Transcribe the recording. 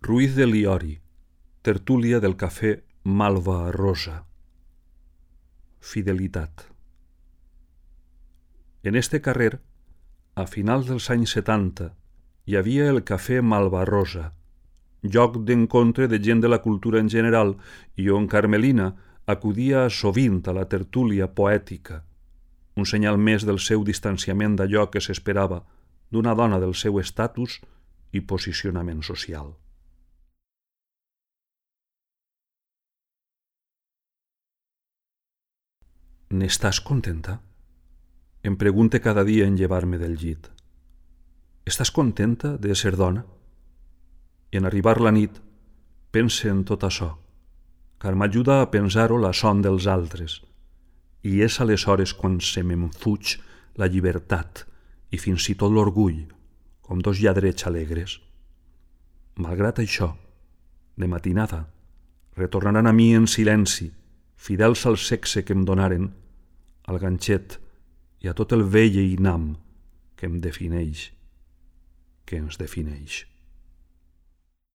Ruiz de Liori, tertúlia del cafè Malva Rosa. Fidelitat. En este carrer, a finals dels anys 70, hi havia el cafè Malva Rosa, lloc d'encontre de gent de la cultura en general i on Carmelina acudia sovint a la tertúlia poètica, un senyal més del seu distanciament d'allò que s'esperava d'una dona del seu estatus i posicionament social. N'estàs contenta? Em pregunte cada dia en llevar-me del llit. Estàs contenta de ser dona? I en arribar la nit, pense en tot això, car m'ajuda a pensar-ho la son dels altres, i és aleshores quan se me'n fuig la llibertat i fins i tot l'orgull, com dos lladrets alegres. Malgrat això, de matinada, retornaran a mi en silenci, fidels al sexe que em donaren, al ganxet i a tot el vell einam que em defineix, que ens defineix.